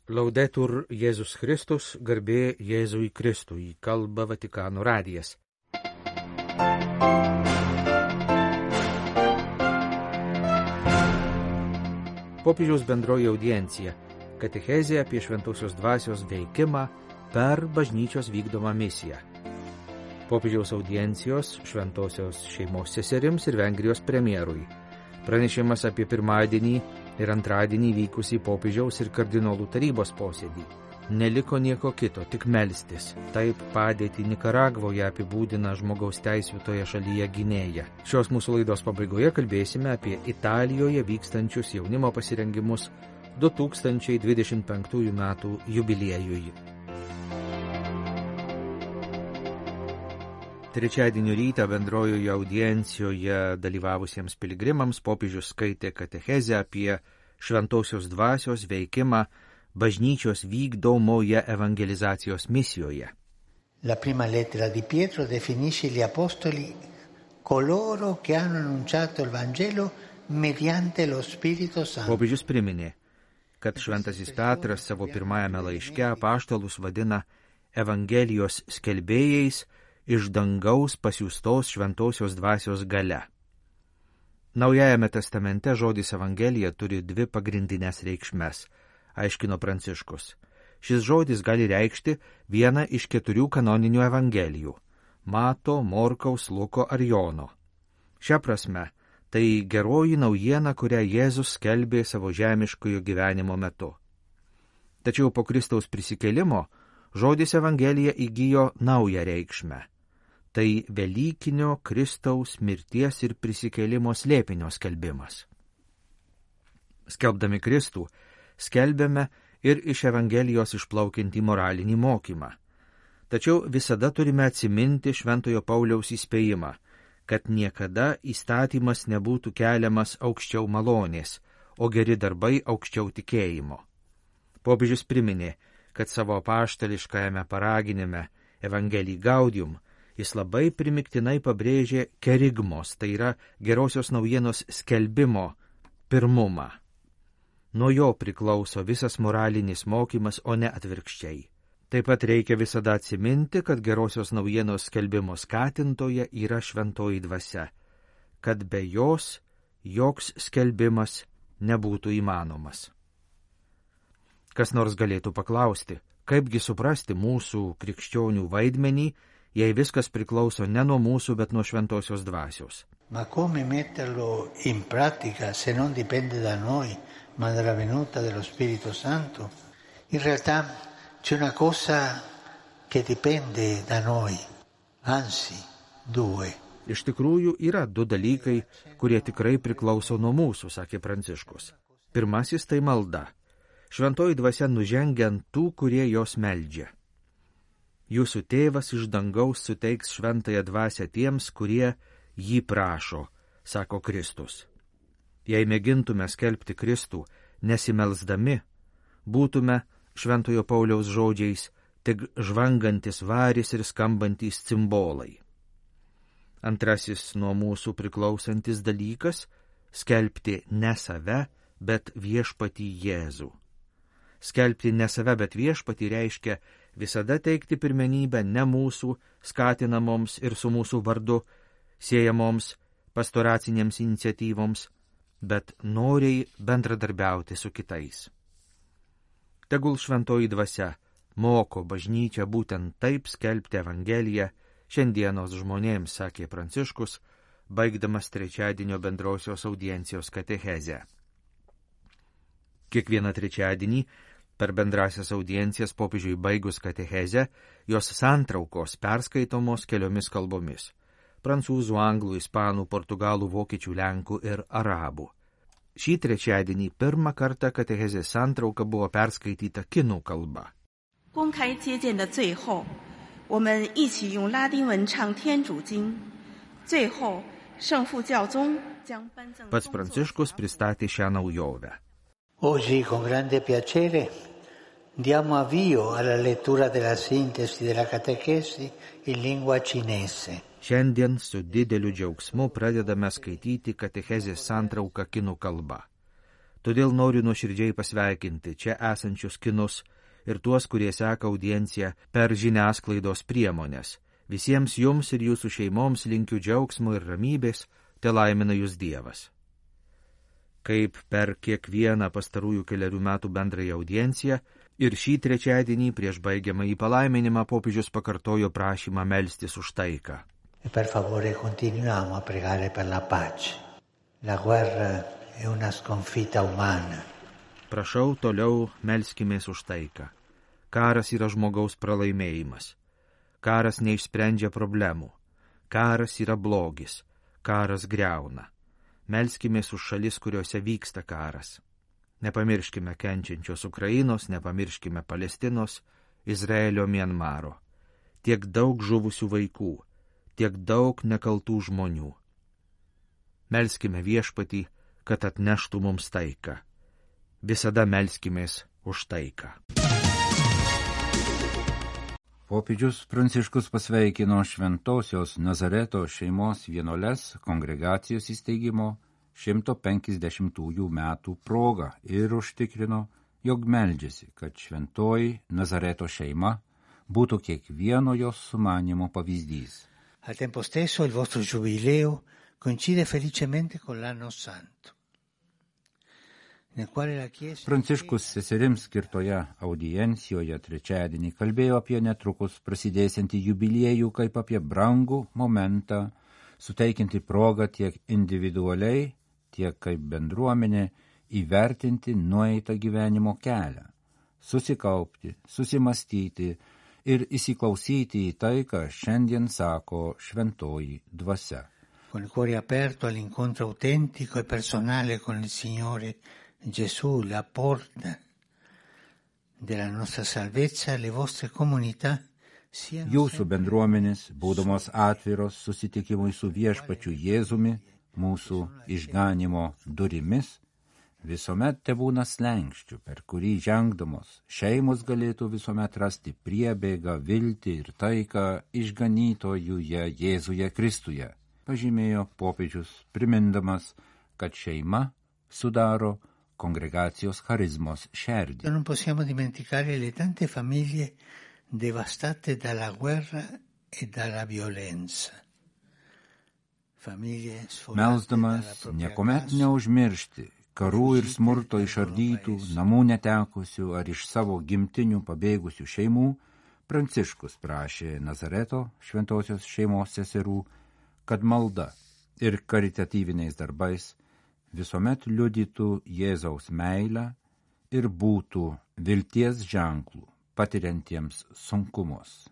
Laudetur Jėzus Kristus, garbė Jėzui Kristui, kalba Vatikano radijas. Popiežiaus bendroji audiencija – katechezė apie šventosios dvasios veikimą per bažnyčios vykdomą misiją. Popiežiaus audiencijos šventosios šeimos seserims ir Vengrijos premjerui. Pranešimas apie pirmadienį ir antradienį vykusį popiežiaus ir kardinolų tarybos posėdį. Neliko nieko kito, tik melstis. Taip padėtį Nikaragvoje apibūdina žmogaus teisių toje šalyje gynėja. Šios mūsų laidos pabaigoje kalbėsime apie Italijoje vykstančius jaunimo pasirengimus 2025 metų jubiliejui. Trečiadienio rytą bendrojoje audiencijoje dalyvavusiems piligrimams popiežius skaitė katechezę apie šventosios dvasios veikimą bažnyčios vykdomoje evangelizacijos misijoje. La prima lettera di Pietro definisce gli apostoli coloro che hanno annunciato il Vangelo mediante lo Spirito Santo. Popiežius priminė, kad šventasis Petras savo pirmajame laiške apaštalus vadina evangelijos skelbėjais iš dangaus pasiųstos šventosios dvasios galia. Naujajame testamente žodis evangelija turi dvi pagrindinės reikšmes, aiškino Pranciškus. Šis žodis gali reikšti vieną iš 4 kanoninių evangelijų – Mato, Morkaus, Luko ar Jono. Šia prasme, tai geroji naujiena, kurią Jėzus skelbė savo žemiškojo gyvenimo metu. Tačiau po Kristaus prisikėlimo žodis evangelija įgijo naują reikšmę. Tai velykinio Kristaus mirties ir prisikėlimo slėpinio skelbimas. Skelbdami Kristų, skelbiame ir iš Evangelijos išplaukiantį moralinį mokymą. Tačiau visada turime atsiminti Šventojo Pauliaus įspėjimą, kad niekada įstatymas nebūtų keliamas aukščiau malonės, o geri darbai aukščiau tikėjimo. Popiežius priminė, kad savo apaštališkajame paraginime Evangelii Gaudium jis labai primiktinai pabrėžė kerigmos, tai yra gerosios naujienos skelbimo pirmumą. Nuo jo priklauso visas moralinis mokymas, o ne atvirkščiai. Taip pat reikia visada atsiminti, kad gerosios naujienos skelbimo skatintoje yra šventoji dvasia, kad be jos joks skelbimas nebūtų įmanomas. Kas nors galėtų paklausti, kaipgi suprasti mūsų krikščionių vaidmenį, jei viskas priklauso ne nuo mūsų, bet nuo šventosios dvasios. Ma come metterlo in pratica se non dipende da noi, ma dalla venuta dello Spirito Santo? In realtà c'è una cosa che dipende da noi, anzi, 2. Iš tikrųjų yra 2 dalykai, kurie tikrai priklauso nuo mūsų, sakė Pranciškus. Pirmasis tai malda. Šventoji dvasia nužengia ant tų, kurie jos meldžia. Jūsų tėvas iš dangaus suteiks šventąją dvasią tiems, kurie jį prašo, sako Kristus. Jei mėgintume skelbti Kristų, nesimelsdami, būtume Šventojo Pauliaus žodžiais tik žvangantis varis ir skambantys cimbolai. Antrasis nuo mūsų priklausantis dalykas – skelbti ne save, bet viešpatį Jėzų. Skelbti ne save, bet viešpatį reiškia visada teikti pirmenybę ne mūsų skatinamoms ir su mūsų vardu siejamoms pastoracinėms iniciatyvoms, bet noriai bendradarbiauti su kitais. Tegul šventoji dvasia moko bažnyčią būtent taip skelbti Evangeliją šiandienos žmonėms, sakė Pranciškus, baigdamas trečiadienio bendrosios audiencijos katechezę. Kiekvieną trečiadienį per bendrasias audiencijas popiežiui baigus katechezę, jos santraukos perskaitomos keliomis kalbomis – prancūzų, anglų, ispanų, portugalų, vokiečių, lenkų ir arabų. Šį trečiadienį pirmą kartą katechezės santrauka buvo perskaityta kinų kalba. 公开接见的最后，我们一起用拉丁文唱天主经。最后，圣父教宗将颁赠。 Pats Pranciškus pristatė šią naujovę. Oggi con grande piacere diamo avvio alla lettura della sintesi della catechesi in lingua cinese. Šiandien su dideliu džiaugsmu pradedame skaityti katechezės santrauką kinų kalba. Todėl noriu nuoširdžiai pasveikinti čia esančius kinus ir tuos, kurie seka audienciją per žiniasklaidos priemonės. Visiems jums ir jūsų šeimoms linkiu džiaugsmo ir ramybės, te laimina jūs Dievas. Kaip per kiekvieną pastarųjų kelerių metų bendrąją audienciją, ir šį trečiadienį prieš baigiamąjį palaiminimą popiežius pakartojo prašymą melstis už taiką. E per favore continuiamo a pregare per la pace. La guerra è una sconfitta umana. Prašau, toliau melskimės už taiką. Karas yra žmogaus pralaimėjimas. Karas neišsprendžia problemų. Karas yra blogis. Karas griauna. Melskimės už šalis, kuriuose vyksta karas. Nepamirškime kenčiančios Ukrainos, nepamirškime Palestinos, Izraelio, Mianmaro. Tiek daug žuvusių vaikų, tiek daug nekaltų žmonių. Melskime Viešpatį, kad atneštų mums taiką. Visada melskimės už taiką. Popiežius Pranciškus pasveikino Šventosios Nazareto šeimos vienuoles kongregacijos įsteigimo 150 metų progą ir užtikrino, jog meldžiasi, kad šventoji Nazareto šeima būtų kiekvieno jos sumanymo pavyzdys. Al tempo stesso il vostro giubileo coincide felicemente con l'anno santo. Pranciškus seserims skirtoje audiencijoje trečiadienį kalbėjo apie netrukus prasidėsiantį jubiliejų kaip apie brangų momentą, suteikiantį progą tiek individualiai, tiek kaip bendruomenė įvertinti nueitą gyvenimo kelią, susikaupti, susimastyti ir įsiklausyti į tai, ką šiandien sako šventoji dvasia. Con il cuore aperto all'incontro autentico e personale con il Signore Gesù, la porta della nostra salvezza, le vostre comunità siano Jūsų bendruomenės, būdamos atviros susitikimui su Viešpačiu Jėzumi, mūsų išganimo durimis, visuomet tebūna slenkščių, per kurį žengdamos šeimos galėtų visuomet rasti priebėgą, viltį ir taiką išganytojuje Jėzuje Kristuje, pažymėjo popiežius, primindamas, kad šeima sudaro kongregacijos charizmos šerdį. Non possiamo dimenticare le tante famiglie devastate dalla guerra e dalla violenza. Melsdamas niekuomet neužmiršti karų ir smurto išardytų, namų netekusių ar iš savo gimtinių pabėgusių šeimų, Pranciškus prašė Nazareto šventosios šeimos seserų, kad malda ir karitatyviniais darbais visuomet liudytų Jėzaus meilę ir būtų vilties ženklų patiriantiems sunkumus.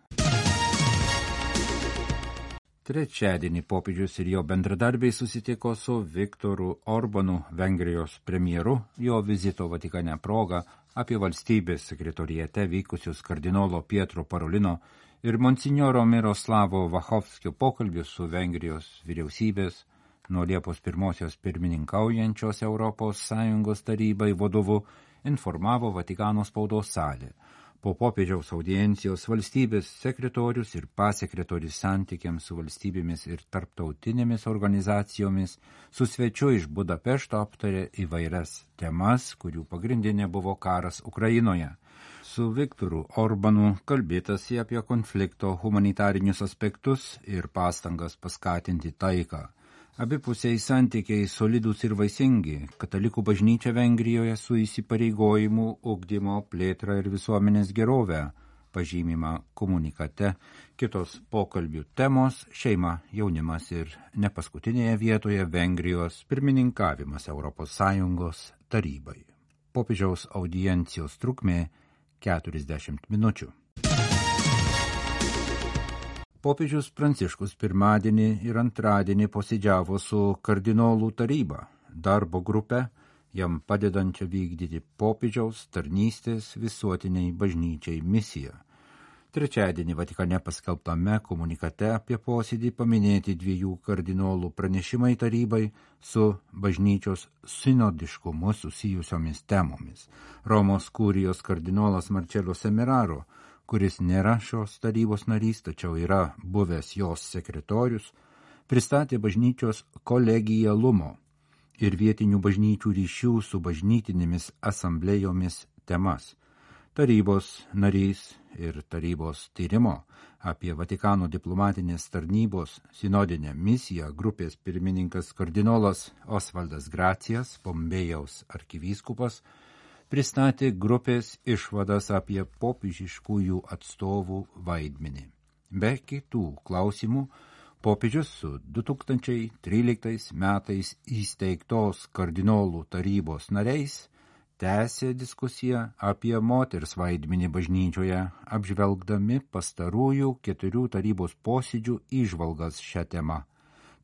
Trečiadienį popiežius ir jo bendradarbiai susitiko su Viktoru Orbanu, Vengrijos premjeru, jo vizito Vatikane proga apie valstybės sekretorijate vykusius kardinolo Pietro Parolino ir monsinjoro Miroslavo Vachovskio pokalbius su Vengrijos vyriausybės nuo Liepos 1 pirmininkaujančios Europos Sąjungos tarybai vadovu informavo Vatikano spaudos salė. Po popiežiaus audiencijos valstybės sekretorius ir pasekretorius santykiams su valstybėmis ir tarptautinėmis organizacijomis su svečiu iš Budapešto aptarė įvairias temas, kurių pagrindinė buvo karas Ukrainoje. Su Viktoru Orbanu kalbėtasi apie konflikto humanitarinius aspektus ir pastangas paskatinti taiką. Abipusiai santykiai solidūs ir vaisingi, katalikų bažnyčia Vengrijoje su įsipareigojimu ugdymo plėtrą ir visuomenės gerovę, pažymima komunikate, kitos pokalbių temos, šeima, jaunimas ir nepaskutinėje vietoje Vengrijos pirmininkavimas Europos Sąjungos tarybai. Popiežiaus audiencijos trukmė 40 minučių. Popiežius Pranciškus pirmadienį ir antradienį posėdžiavo su kardinolų taryba, darbo grupe, jam padedančia vykdyti popiežiaus tarnystės visuotiniai bažnyčiai misiją. Trečiadienį Vatikane paskelbtame komunikate apie posėdį paminėti 2 kardinolų pranešimai tarybai su bažnyčios sinodiškumu susijusiomis temomis. Romos kurijos kardinolas Marcello Semeraro, kuris nėra šios tarybos narys, tačiau yra buvęs jos sekretorius, pristatė bažnyčios kolegialumo ir vietinių bažnyčių ryšių su bažnytinėmis asamblėjomis temas. Tarybos narys ir tarybos tyrimo apie Vatikano diplomatinės tarnybos sinodinę misiją grupės pirmininkas kardinolas Osvaldas Gracijas, Pompėjaus arkivyskupas, pristatė grupės išvadas apie popiežiškųjų atstovų vaidmenį. Be kitų klausimų, popiežius su 2013 metais įsteigtos kardinolų tarybos nariais tęsė diskusiją apie moters vaidmenį bažnyčioje, apžvelgdami pastarųjų 4 tarybos posėdžių įžvalgas šią temą.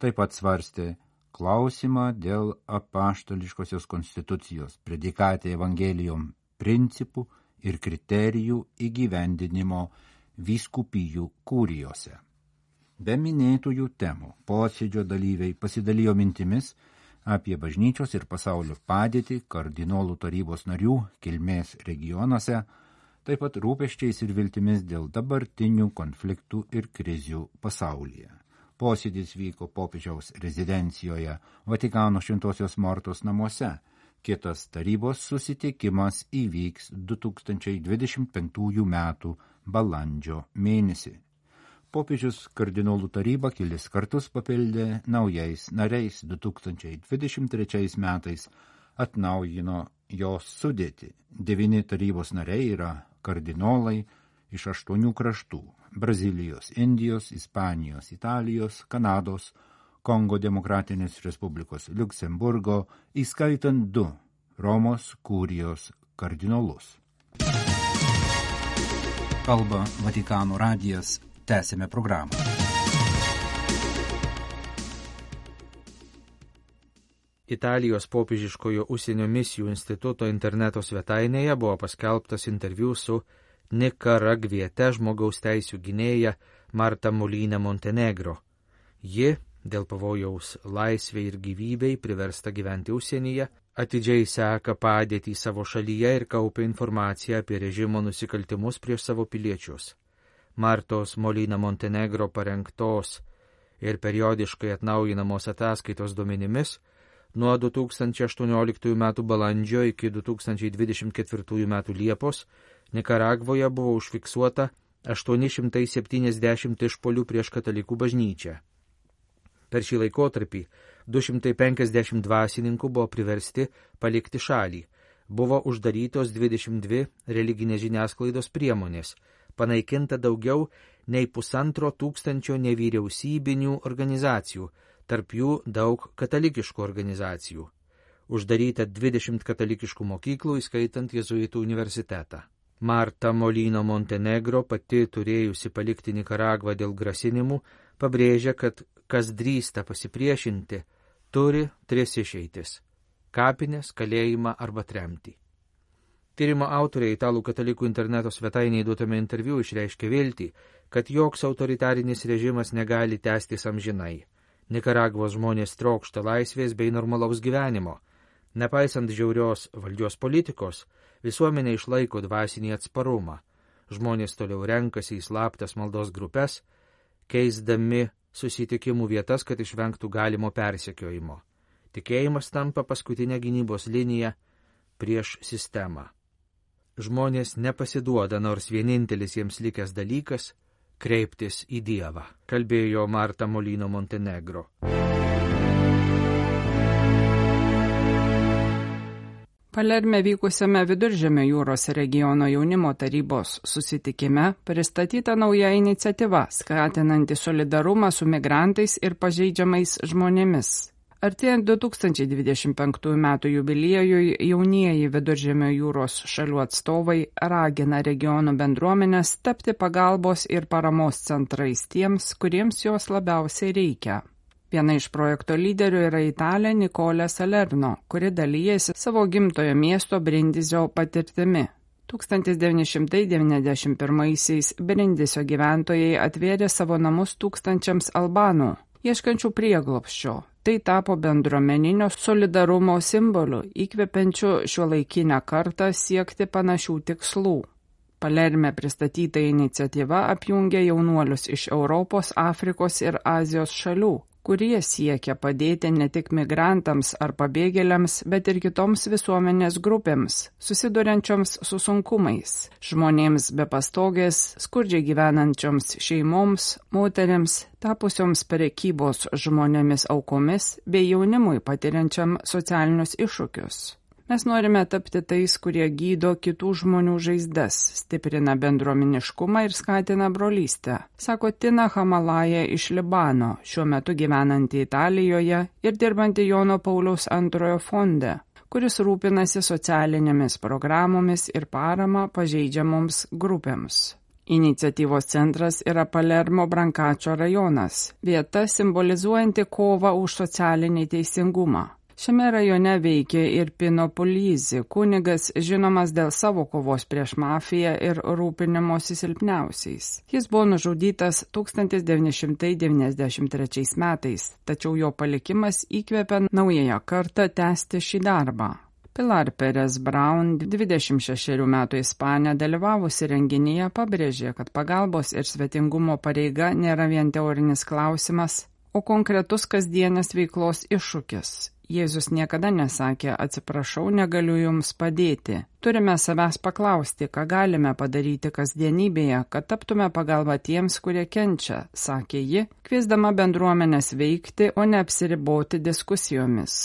Taip pat svarstė klausimą dėl apaštališkosios konstitucijos, predikatė evangelijom principų ir kriterijų įgyvendinimo vyskupijų kurijose. Be minėtųjų temų posėdžio dalyviai pasidalijo mintimis apie bažnyčios ir pasaulio padėtį kardinolų tarybos narių kilmės regionuose, taip pat rūpesčiais ir viltimis dėl dabartinių konfliktų ir krizių pasaulyje. Posėdis vyko popiežiaus rezidencijoje Vatikano Šventosios Mortos namuose. Kitas tarybos susitikimas įvyks 2025 metų balandžio mėnesį. Popiežius kardinolų tarybą kelis kartus papildė naujais nariais. 2023 metais atnaujino jos sudėtį. 9 tarybos nariai yra kardinolai iš 8 kraštų – Brazilijos, Indijos, Ispanijos, Italijos, Kanados, Kongo Demokratinės Respublikos, Liuksemburgo, įskaitant 2 Romos kurijos kardinolus. Kalba Vatikano radijas. Tęsime programą. Italijos popiežiškojo užsienio misijų instituto interneto svetainėje buvo paskelbtas interviu su nikaragviete žmogaus teisių gynėja Marta Molina Montenegro. Ji, dėl pavojaus laisvei ir gyvybei priversta gyventi užsienyje, atidžiai seka padėtį savo šalyje ir kaupia informaciją apie režimo nusikaltimus prieš savo piliečius. Martos Molina Montenegro parengtos ir periodiškai atnaujinamos ataskaitos duomenimis, nuo 2018 m. balandžio iki 2024 m. Liepos Nikaragvoje buvo užfiksuota 870 išpuolių prieš katalikų bažnyčią. Per šį laikotarpį 250 dvasininkų buvo priversti palikti šalį. Buvo uždarytos 22 religinės žiniasklaidos priemonės, panaikinta daugiau nei 1500 nevyriausybinių organizacijų, tarp jų daug katalikiškų organizacijų. Uždaryta 20 katalikiškų mokyklų, įskaitant Jėzuitų universitetą. Marta Molina Montenegro, pati turėjusi palikti Nikaragvą dėl grasinimų, pabrėžia, kad kas drįsta pasipriešinti, turi 3 išeitis – kapinės, kalėjimą arba tremtį. Tyrimo autoriai Italų katalikų interneto svetainėje duotame interviu išreiškė viltį, kad joks autoritarinis režimas negali tęstis amžinai. Nikaragvos žmonės trokšta laisvės bei normalaus gyvenimo. Nepaisant žiaurios valdžios politikos, visuomenė išlaiko dvasinį atsparumą. Žmonės toliau renkasi į slaptas maldos grupes, keisdami susitikimų vietas, kad išvengtų galimo persekiojimo. Tikėjimas tampa paskutinė gynybos linija prieš sistemą. Žmonės nepasiduoda, nors vienintelis jiems likęs dalykas – kreiptis į Dievą, kalbėjo Marta Molina Montenegro. Palerme vykusiame Viduržemio jūros regiono jaunimo tarybos susitikime pristatyta nauja iniciatyva, skatinanti solidarumą su migrantais ir pažeidžiamais žmonėmis. Artėjant 2025 metų jubiliejui, jaunieji Viduržemio jūros šalių atstovai ragina regionų bendruomenės tapti pagalbos ir paramos centrais tiems, kuriems jos labiausiai reikia. Viena iš projekto lyderių yra italė Nicolė Salerno, kuri dalyjasi savo gimtojo miesto Brindizio patirtimi. 1991-aisiais Brindisio gyventojai atvėrė savo namus tūkstančiams albanų, ieškančių prieglobsčio. Tai tapo bendruomeninio solidarumo simboliu, įkvepiančiu šiuolaikinę kartą siekti panašių tikslų. Palerme pristatyta iniciatyva apjungia jaunuolius iš Europos, Afrikos ir Azijos šalių, kurie siekia padėti ne tik migrantams ar pabėgėliams, bet ir kitoms visuomenės grupėms, susiduriančioms su sunkumais, žmonėms be pastogės, skurdžiai gyvenančioms šeimoms, moteriams, tapusioms prekybos žmonėmis aukomis bei jaunimui patiriančiam socialinius iššūkius. Mes norime tapti tais, kurie gydo kitų žmonių žaizdas, stiprina bendruomeniškumą ir skatina brolystę, sako Tina Hamalaja iš Libano, šiuo metu gyvenanti Italijoje ir dirbanti Jono Pauliaus II fonde, kuris rūpinasi socialinėmis programomis ir parama pažeidžiamoms grupėms. Iniciatyvos centras yra Palermo Brancačio rajonas, vieta simbolizuojanti kovą už socialinį teisingumą. Šiame rajone veikia ir Pino Puglisi, kunigas žinomas dėl savo kovos prieš mafiją ir rūpinimosi silpniausiais. Jis buvo nužudytas 1993 metais, tačiau jo palikimas įkvėpė naująją kartą tęsti šį darbą. Pilar Perez Brown, 26 metų ispanė, dalyvavusi renginyje, pabrėžė, kad pagalbos ir svetingumo pareiga nėra vien teorinis klausimas, o konkretus kasdienės veiklos iššūkis. Jėzus niekada nesakė, atsiprašau, negaliu jums padėti. Turime savęs paklausti, ką galime padaryti kasdienybėje, kad taptume pagalba tiems, kurie kenčia, sakė ji, kviesdama bendruomenės veikti, o ne apsiriboti diskusijomis.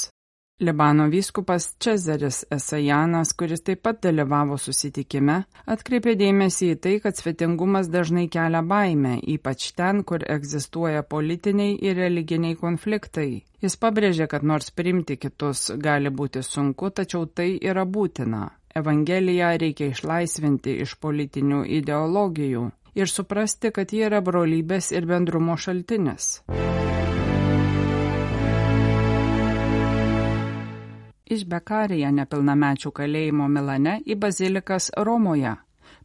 Libano vyskupas Čezaris Esajanas, kuris taip pat dalyvavo susitikime, atkreipė dėmesį į tai, kad svetingumas dažnai kelia baimę, ypač ten, kur egzistuoja politiniai ir religiniai konfliktai. Jis pabrėžė, kad nors priimti kitus gali būti sunku, tačiau tai yra būtina. Evangeliją reikia išlaisvinti iš politinių ideologijų ir suprasti, kad ji yra brolybės ir bendrumo šaltinis. Iš Bekarija nepilnamečių kalėjimo Milane į bazilikas Romoje.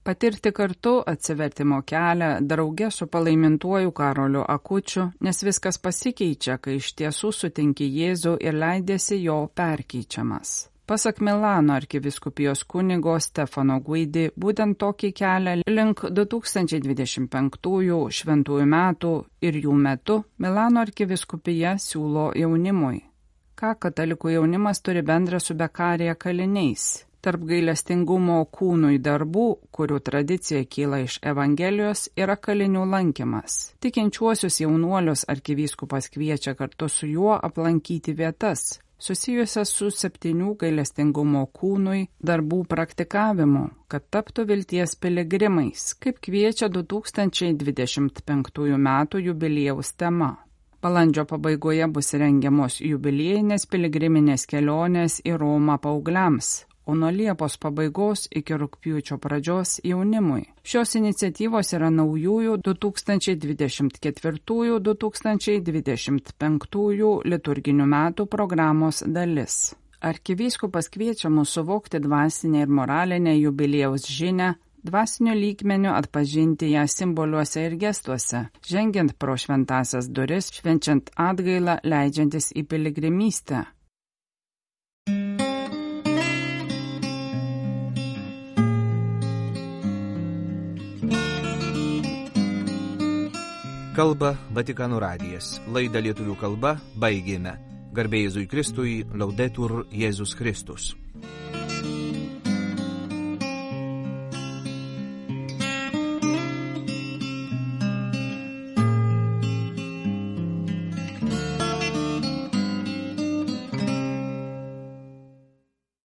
Patirti kartu atsivertimo kelią drauge su palaimintuoju Karoliu Akučiu, nes viskas pasikeičia, kai iš tiesų sutinki Jėzų ir leidiesi jo perkeičiamas. Pasak Milano arkivyskupijos kunigo Stefano Guidi, būtent tokį kelią link 2025 šventųjų metų ir jų metu Milano arkivyskupija siūlo jaunimui. Ką katalikų jaunimas turi bendra su Bekarija kaliniais? Tarp gailestingumo kūnui darbų, kurių tradicija kyla iš Evangelijos, yra kalinių lankymas. Tikinčiuosius jaunuolius arkivyskupas kviečia kartu su juo aplankyti vietas, susijusias su 7 gailestingumo kūnui darbų praktikavimu, kad taptų vilties piligrimais, kaip kviečia 2025 metų jubiliejaus tema. Balandžio pabaigoje bus rengiamos jubiliejinės piligriminės kelionės į Romą paaugliams, o nuo Liepos pabaigos iki rugpjūčio pradžios jaunimui. Šios iniciatyvos yra naujųjų 2024-2025 liturginių metų programos dalis. Arkivyskupas kviečia mus suvokti dvasinę ir moralinę jubiliejaus žinią, dvasiniu lygmeniu atpažinti ją simboliuose ir gestuose, žengiant pro šventąsias duris, švenčiant atgailą, leidžiantis į piligrimystę. Kalba Vatikano radijas. Laidą lietuvių kalba baigėme. Garbė Jėzui Kristui, Laudetur Jėzus Kristus.